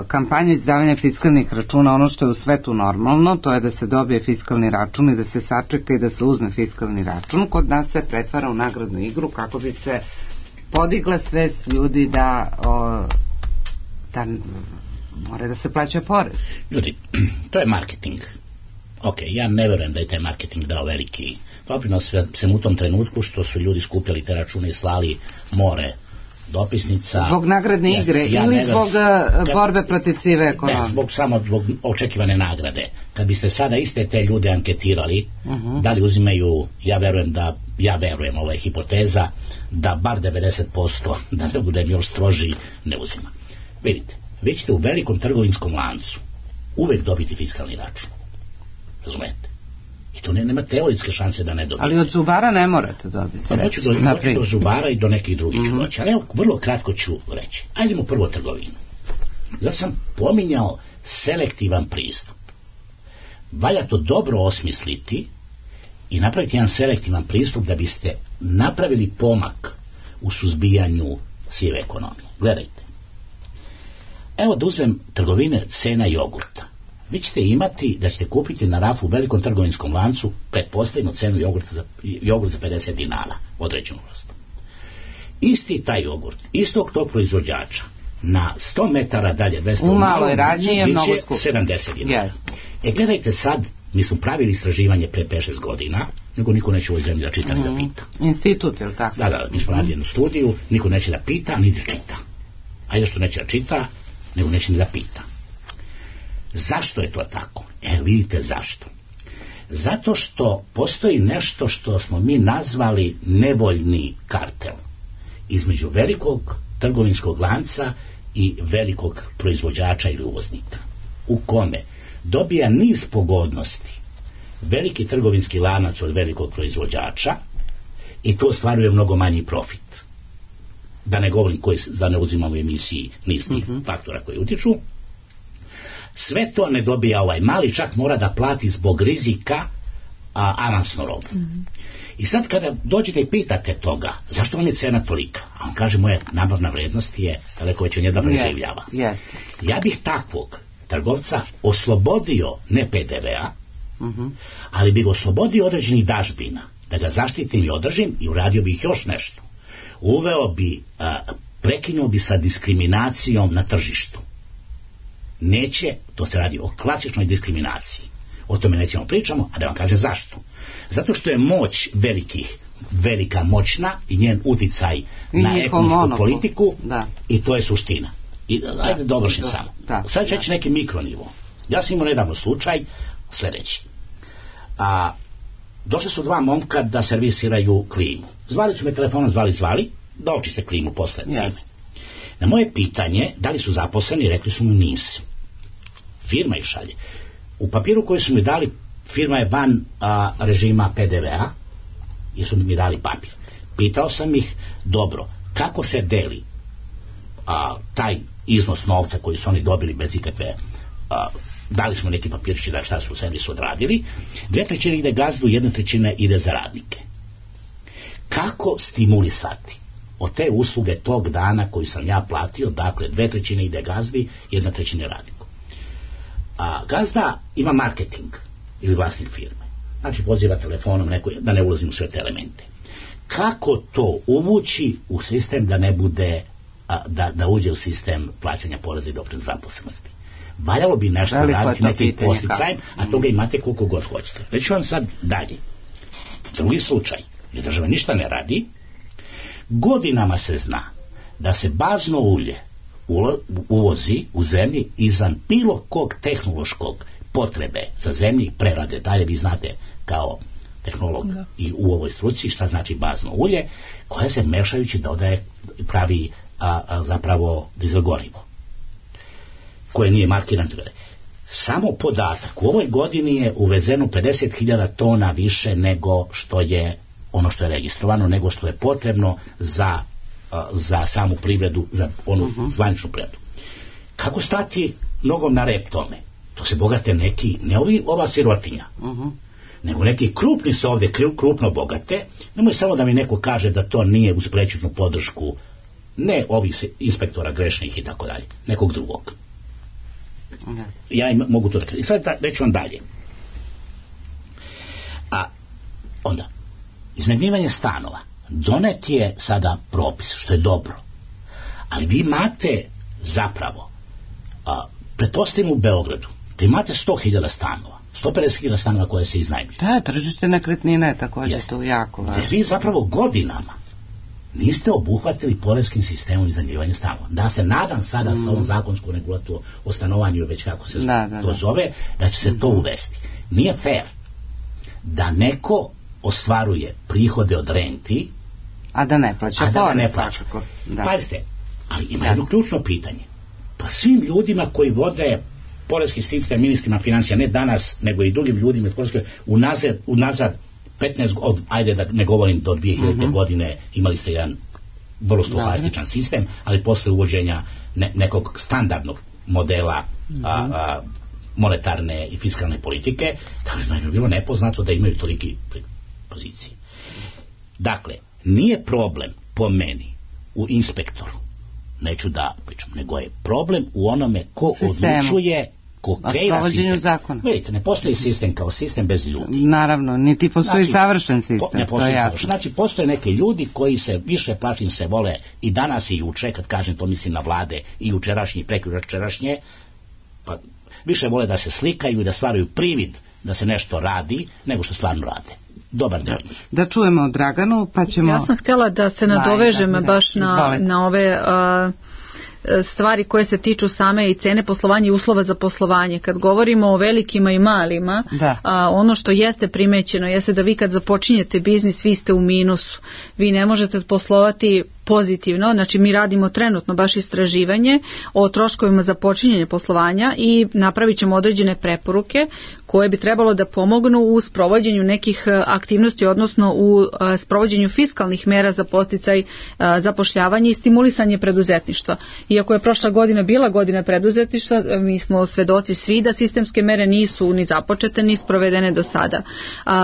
kampanju izdavanja fiskalnih računa, ono što je u svetu normalno, to je da se dobije fiskalni račun i da se sačeka i da se uzme fiskalni račun, kod nas se pretvara u nagradnu igru kako bi se podigla svest ljudi da Mora da se plaća porez. Ljudi, to je marketing. Ok, ja ne verujem da je taj marketing dao veliki doprinos, sem u tom trenutku što su ljudi skupljali te račune i slali more dopisnica. Zbog nagradne igre ili zbog borbe protiv sive ekonomije? Ne, samo zbog očekivane nagrade. Kad biste sada iste te ljude anketirali, da li uzimaju, ja verujem, ovo je hipoteza, da bar 90%, da ne budem još stroži, ne uzima. Vidite, vi ćete u velikom trgovinskom lancu uvek dobiti fiskalni račun. Razumete? I to nema teoretske šanse da ne dobijete. Ali od zubara ne morate dobiti. Pa hoću do zubara i do nekih drugih ću doći. Ali evo, vrlo kratko ću reći. Ajdemo prvo trgovinu. Zato sam pominjao selektivan pristup. Valja to dobro osmisliti i napraviti jedan selektivan pristup da biste napravili pomak u suzbijanju sive ekonomije. Gledajte. Evo da uzmem trgovine cena jogurta. Vi ćete imati da ćete kupiti na rafu u velikom trgovinskom lancu pretpostavljeno cenu jogurt za 50 dinara određenu vrstu. Isti taj jogurt, istog tog proizvođača na 100 metara dalje 200 u maloj radnji je mnogo skup. 70 dinara. Gledajte sad, mi smo pravili istraživanje pre 5-6 godina, nego niko neće u ovoj zemlji da čita ni da pita. Institut, je li tako? Da, mi smo radili jednu studiju, niko neće da pita ni da čita. Ajde što neće da čita, nego neće ni da pita. Zašto je to tako? Vidite zašto. Zato što postoji nešto što smo mi nazvali nevoljni kartel između velikog trgovinskog lanca i velikog proizvođača ili uvoznika, u kome dobija niz pogodnosti veliki trgovinski lanac od velikog proizvođača i to ostvaruje mnogo manji profit. Da ne govorim da ne uzimamo emisiji niz tih faktora koji utiču. Sve to ne dobija ovaj mali, čak mora da plati zbog rizika avansnu robu. I sad kada dođete i pitate toga, zašto vam je cena tolika? A on kaže, moja nabavna vrednost je daleko već od njega preživljava. Ja bih takvog trgovca oslobodio ne PDV-a, ali bih oslobodio određenih dažbina, da ga zaštitim i održim i uradio bih još nešto. Uveo bi, prekinuo bi sa diskriminacijom na tržištu. Neće, to se radi o klasičnoj diskriminaciji. O tome nećemo pričamo, a da vam kaže zašto. Zato što je moć velika moćna i njen uticaj na ekonomsku politiku i to je suština. I ajde da obršim samo. Sad ću reći neki mikronivo. Ja sam imao nedavno slučaj sljedeći. Došli su dva momka da servisiraju klimu. Zvali su me telefonom, zvali, da očiste klimu posle zime. Na moje pitanje, da li su zaposleni, rekli su mu nisu. Firma ih šalje. U papiru koji su mi dali, firma je van režima PDV-a, jer su mi dali papir. Pitao sam ih, dobro, kako se deli taj iznos novca koji su oni dobili bez ikakve, dali smo neki papirčići da šta su u servisu odradili, 2/3 ide gazdu, 1/3 ide za radnike. Kako stimulisati od te usluge tog dana koju sam ja platio, dakle 2/3 ide gazdi, 1/3 radniku. Gazda ima marketing ili vlasnik firme. Znači poziva telefonom neko, da ne ulazim u sve te elemente. Kako to uvući u sistem da ne bude, da uđe u sistem plaćanja poreza i doprinosa zaposlenosti? Valjalo bi nešto raditi nekim posticajem, a toga imate koliko god hoćete. Reću vam sad dalje. Drugi slučaj, gdje država ništa ne radi, godinama se zna da se bazno ulje uvozi u zemlji izvan bilo kog tehnološkog potrebe za zemlji prerade. Dalje vi znate kao tehnolog i u ovoj struci šta znači bazno ulje, koje se mešajući dodaje pravi zapravo dizel gorivo koje nije markirano. Samo podatak, u ovoj godini je uvezeno 50.000 tona više nego što je ono što je registrovano, nego što je potrebno za samu privredu, za onu zvaničnu privredu. Kako stati nogom na rep tome? To se bogate neki, ne ova sirotinja, nego neki krupni se ovdje krupno bogate. Nemoj samo da mi neko kaže da to nije uz prečutnu podršku ne ovih inspektora grešnih i tako dalje, nekog drugog. Ja mogu to da kažem. I sad reću vam dalje. Onda, iznajmljivanje stanova. Donet je sada propis, što je dobro. Ali vi imate zapravo Pretpostavimo u Beogradu da imate 100.000 stanova, 150.000 stanova koje se iznajmljuju. Da, tržište nekretnina je također to jako važno. Vi zapravo godinama niste obuhvatili poreskim sistemom iznajmljivanja stanova. Da se nadam sada sa ovom zakonskom regulativom o stanovanju, već kako se to zove, da će se to uvesti. Nije fair da neko ostvaruje prihode od renti, a da ne plaća porez. Pazite, ali ima jedno ključno pitanje. Pa svim ljudima koji vode poreski sistem, ministrima financija, ne danas, nego i drugim ljudima unazad 15, ajde da ne govorim do 2000. godine, imali ste jedan vrlo stohastičan sistem, ali posle uvođenja nekog standardnog modela monetarne i fiskalne politike, da je bilo nepoznato da imaju toliki pozicije. Dakle, nije problem po meni u inspektoru, neću da pričam, nego je problem u onome ko odlučuje, ko kreira sistem. Vidite, ne postoji sistem kao sistem bez ljudi. Naravno, niti postoji savršen sistem. Ne postoji savršen. Znači, postoje neki ljudi koji se više plašim se vole i danas i juče, kad kažem to mislim na vlade i jučerašnje i prekjučerašnje, pa više vole da se slikaju i da stvaraju privid da se nešto radi, nego što stvarno rade. Dobar dan. Da čujemo Draganu, pa ćemo... Ja sam htjela da se nadovežem baš na ove stvari koje se tiču same i cene poslovanja i uslova za poslovanje. Kad govorimo o velikima i malima, ono što jeste primećeno jeste da vi kad započinjete biznis, vi ste u minusu. Vi ne možete poslovati pozitivno, znači mi radimo trenutno baš istraživanje o troškovima za počinjenje poslovanja i napravit ćemo određene preporuke koje bi trebalo da pomognu u sprovođenju nekih aktivnosti, odnosno u sprovođenju fiskalnih mera za podsticaj zapošljavanja i stimulisanje preduzetništva. Iako je prošla godina bila godina preduzetništva, mi smo svedoci svi da sistemske mere nisu ni započete ni sprovedene do sada.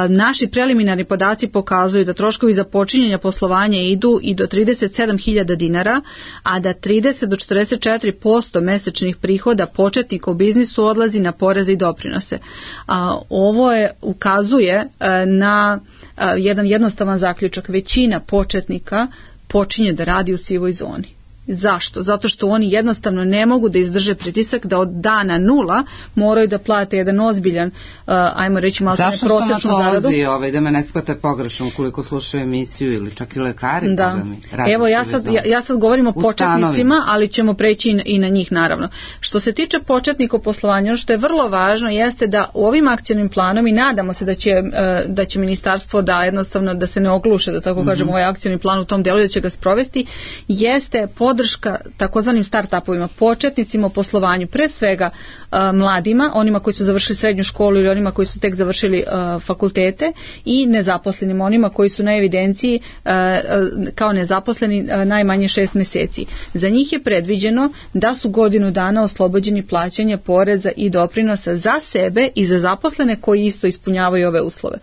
Naši preliminarni podaci pokazuju da troškovi za počinjenje poslovanja idu i do 37.000 dinara, a da 30 do 44% mesečnih prihoda početnika u biznisu odlazi na poreze i doprinose. Ovo ukazuje na jedan jednostavan zaključak. Većina početnika počinje da radi u sivoj zoni. Zašto? Zato što oni jednostavno ne mogu da izdrže pritisak da od dana 0 moraju da plate jedan ozbiljan, ajmo reći malo prosječnu zaradu. Zašto stomatolozi, da me ne shvate pogrešno ukoliko slušaju emisiju ili čak i lekari? Da. Evo ja sad govorim o početnicima, ali ćemo preći i na njih naravno. Što se tiče početnika u poslovanju, ono što je vrlo važno jeste da u ovim akcionim planom i nadamo se da će ministarstvo da jednostavno da se ne ogluše, da tako kažemo, ovaj akcioni plan u tom delu da će ga sprovesti, jeste podrška takozvanim start-upovima, početnicima u poslovanju, pre svega mladima, onima koji su završili srednju školu ili onima koji su tek završili fakultete i nezaposlenima, onima koji su na evidenciji kao nezaposleni najmanje 6 mjeseci. Za njih je predviđeno da su godinu dana oslobođeni plaćanja poreza i doprinosa za sebe i za zaposlene koji isto ispunjavaju ove uslove.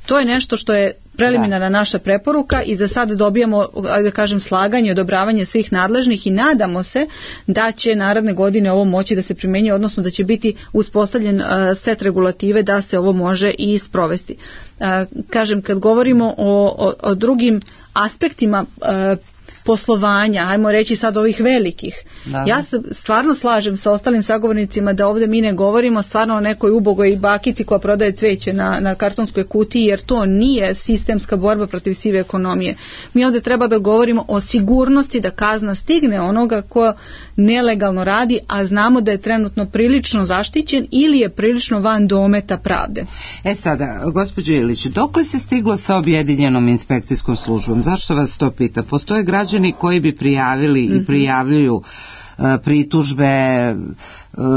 To je nešto što je preliminarna naša preporuka i za sad dobijamo, da kažem, slaganje i odobravanje svih nadležnih i nadamo se da će naredne godine ovo moći da se primjenjuje, odnosno da će biti uspostavljen set regulative da se ovo može i sprovesti. Kažem, kad govorimo o drugim aspektima poslovanja, ajmo reći sad ovih velikih. Ja se stvarno slažem sa ostalim sagovornicima da ovdje mi ne govorimo stvarno o nekoj ubogoj bakici koja prodaje cveće na kartonskoj kutiji, jer to nije sistemska borba protiv sive ekonomije. Mi ovdje treba da govorimo o sigurnosti da kazna stigne onoga ko nelegalno radi, a znamo da je trenutno prilično zaštićen ili je prilično van dometa pravde. Sada, gospođo Ilić, dokle se stiglo sa objedinjenom inspekcijskom službom? Zašto vas to pita? Postoje građani koji bi prijavili i prijavljuju pritužbe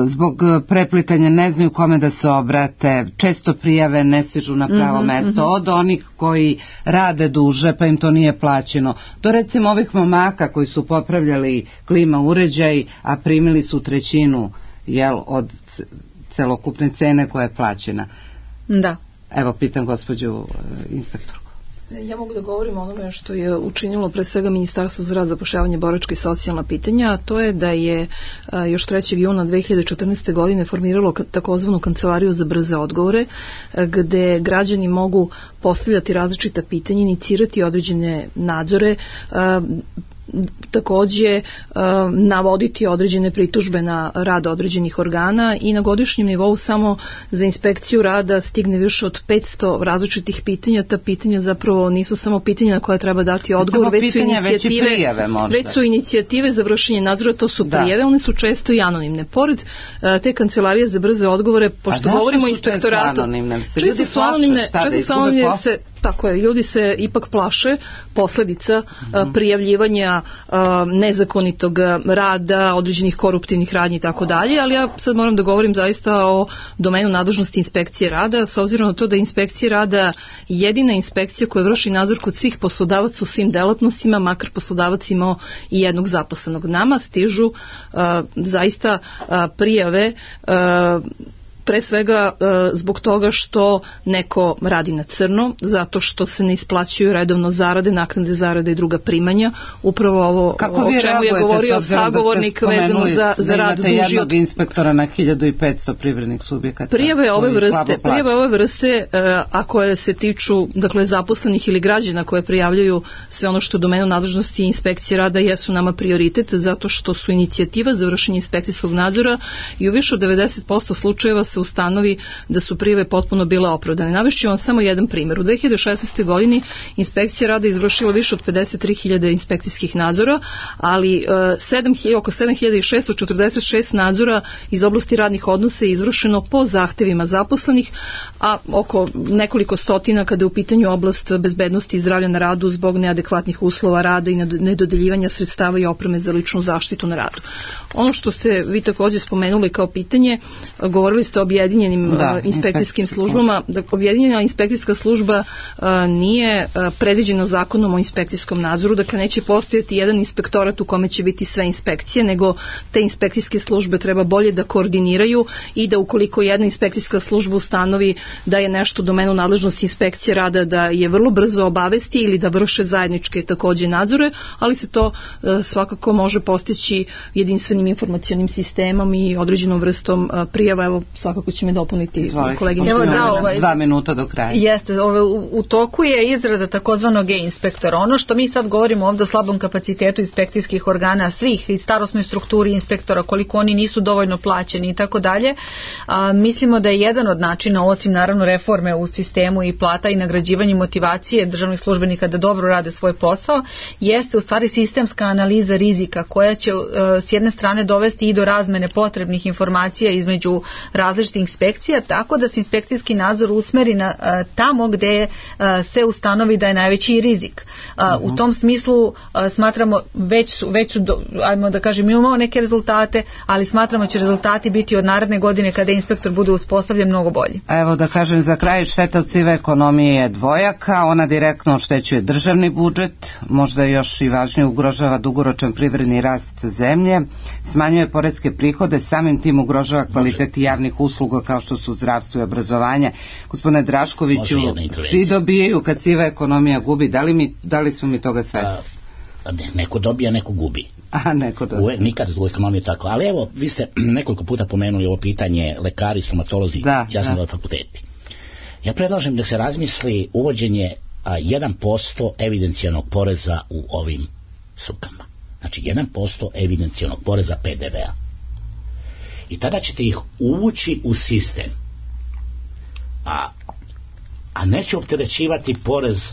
zbog preplitanja, ne znaju kome da se obrate, često prijave ne stižu na pravo mesto, od onih koji rade duže pa im to nije plaćeno, do recimo ovih momaka koji su popravljali klima uređaj, a primili su 1/3 od celokupne cene koja je plaćena. Da. Evo, pitam gospođu inspektorku. Ja mogu da govorim o onome što je učinilo pre svega Ministarstvo za rad, zapošljavanje, boračka i socijalna pitanja, a to je da je još 3. juna 2014. godine formiralo takozvanu kancelariju za brze odgovore, gde građani mogu postavljati različita pitanja, inicirati određene nadzore, takođe navoditi određene pritužbe na rad određenih organa i na godišnjem nivou samo za inspekciju rada stigne više od 500 različitih pitanja. Ta pitanja zapravo nisu samo pitanja na koje treba dati odgovor, već su inicijative za vršenje nadzora, to su prijave, one su često i anonimne. Pored te kancelarije za brze odgovore, pošto govorimo o inspektoratu, često su anonimne, tako je, ljudi se ipak plaše posledica prijavljivanja nezakonitog rada, određenih koruptivnih radnji i tako dalje, ali ja sad moram da govorim zaista o domenu nadležnosti inspekcije rada, s obzirom na to da je inspekcija rada jedina inspekcija koja vrši nadzor kod svih poslodavaca u svim delatnostima, makar poslodavac imao i jednog zaposlenog. Nama stižu zaista prijave pre svega zbog toga što neko radi na crno, zato što se ne isplaćuju redovno zarade, naknade zarade i druga primanja. Upravo ovo o čemu je govorio sagovornik vezano za rad duži od... Imate jednog inspektora na 1500 privrednih subjekata. Prijave ove vrste, a koje se tiču zaposlenih ili građana koje prijavljaju sve ono što je domenu nadležnosti inspekcije rada, jesu nama prioritet, zato što su inicijativa za vršenje inspekcijskog nadzora i u više od 90% slučajeva se ustanovi da su prijave potpuno bile opravdane. Navešću vam samo jedan primjer. U 2016. godini inspekcija rada izvršila više od 53.000 inspekcijskih nadzora, ali oko 7.646 nadzora iz oblasti radnih odnosa je izvršeno po zahtevima zaposlenih, a oko nekoliko stotina kada je u pitanju oblast bezbednosti i zdravlja na radu zbog neadekvatnih uslova rada i nedodeljivanja sredstava i opreme za ličnu zaštitu na radu. Ono što ste vi također spomenuli kao pitanje, govorili ste o objedinjenim inspekcijskim službama. Objedinjena inspekcijska služba nije predviđena zakonom o inspekcijskom nadzoru, dakle neće postojati jedan inspektorat u kome će biti sve inspekcije, nego te inspekcijske službe treba bolje da koordiniraju i da ukoliko jedna inspekcijska služba ustanovi da je nešto u domenu nadležnosti inspekcije rada, da je vrlo brzo obavesti ili da vrše zajedničke takođe nadzore, ali se to svakako može postići jedinstvenim informacionim sistemom i određenom vrstom prijava. Evo, svakako će me dopuniti koleginica. 2 minuta do kraja. Jeste, u toku je izrada takozvanog e-inspektora. Ono što mi sad govorimo ovdje o slabom kapacitetu inspekcijskih organa svih i starosnoj strukturi inspektora, koliko oni nisu dovoljno plaćeni i tako dalje, mislimo da je jedan od načina, osim naravno reforme u sistemu i plata i nagrađivanje motivacije državnih službenika da dobro rade svoj posao, jeste u stvari sistemska analiza rizika koja će s jedne strane dovesti i do razmene potrebnih informacija između različitih inspekcija, tako da se inspekcijski nadzor usmeri na tamo gde se ustanovi da je najveći rizik. U tom smislu smatramo već su ajmo da kažem, imamo neke rezultate, ali smatramo će rezultati biti od naredne godine kada inspektor bude uspostavljen mnogo bolji. Evo da kažem za kraj, šteta od sive ekonomije je dvojaka, ona direktno oštećuje državni budžet, možda još i važnije ugrožava dugoročan privredni rast zemlje, smanjuje poreske prihode, samim tim ugrožava kvalitet javnih usluga kao što su zdravstvo i obrazovanje. Gospodine Draškoviću, svi dobijaju kad siva ekonomija gubi, da li smo mi toga svesni? Neko dobija, neko gubi. Neko dobija. Nikad u ekonomiji tako. Ali evo, vi ste nekoliko puta pomenuli ovo pitanje lekari, stomatolozi, jasno fakulteti. Ja predlažem da se razmisli uvođenje 1% evidencijalnog poreza u ovim strukama. Znači 1% evidencijalnog poreza PDV-a. I tada ćete ih uvući u sistem. A neće opterećivati porez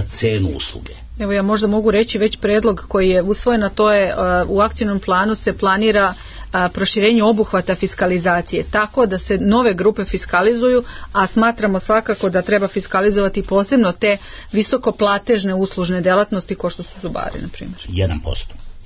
cenu usluge. Evo ja možda mogu reći već predlog koji je usvojen, a to je u akcijnom planu se planira proširenje obuhvata fiskalizacije, tako da se nove grupe fiskalizuju, a smatramo svakako da treba fiskalizovati posebno te visokoplatežne uslužne delatnosti kao što su zubari, na primjer. 1%.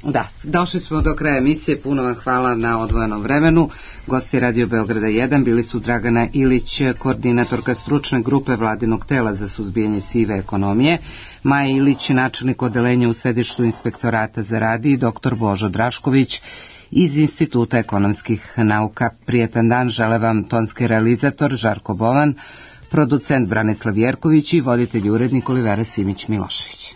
Da, došli smo do kraja emisije, puno vam hvala na odvojenom vremenu. Gosti Radio Beograda 1 bili su Dragana Ilić, koordinatorka stručne grupe vladinog tela za suzbijanje sive ekonomije, Maja Ilić, načelnik odeljenja u sedištu inspektorata za rad i dr. Božo Drašković iz Instituta ekonomskih nauka. Prijetan dan žele vam tonski realizator Žarko Bovan, producent Branislav Jerković i voditelj urednik Olivera Simić Milošević.